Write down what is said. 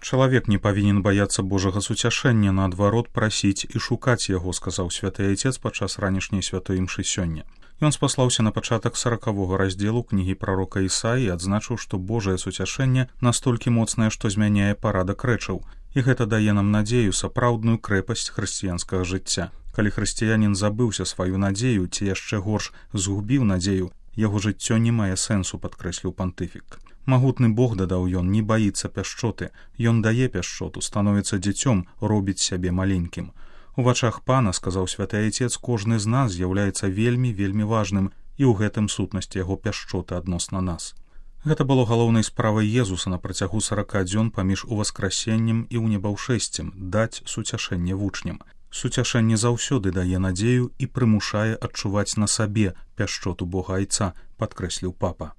Чалавек не павінен баяцца Божага суцяшэння, наадварот, прасіць і шукаць яго, сказаў святы айцец падчас ранішняй святой імшы сёння. Ён спаслаўся на пачатак 40-го раздзелу кнігі прарока Ісаі і адзначыў, што Божае суцяшэнне настолькі моцнае, што змяняе парадак рэчаў. І гэта дае нам надзею, сапраўдную крэпасць хрысціянскага жыцця. Калі хрысціянін забыўся сваю надзею, ці яшчэ горш згубіў надзею, яго жыццё не мае сэнсу, падкрэсліў пантыфік. Магутны Бог, дадаў ён, не баіцца пяшчоты. Ён дае пяшчоту, становіцца дзіцём, робіць сябе маленькім. У вачах Пана, сказаў святы айцец, кожны з нас з'яўляецца вельмі, вельмі важным, і ў гэтым сутнасць яго пяшчоты адносна нас. Гэта было галоўнай справай Езуса на працягу 40 дзён паміж уваскрасеннем і ўнебаўшэсцем, даць суцяшэнне вучням. Суцяшэнне заўсёды дае надзею і прымушае адчуваць на сабе пяшчоту Бога Айца, падкрэсліў папа.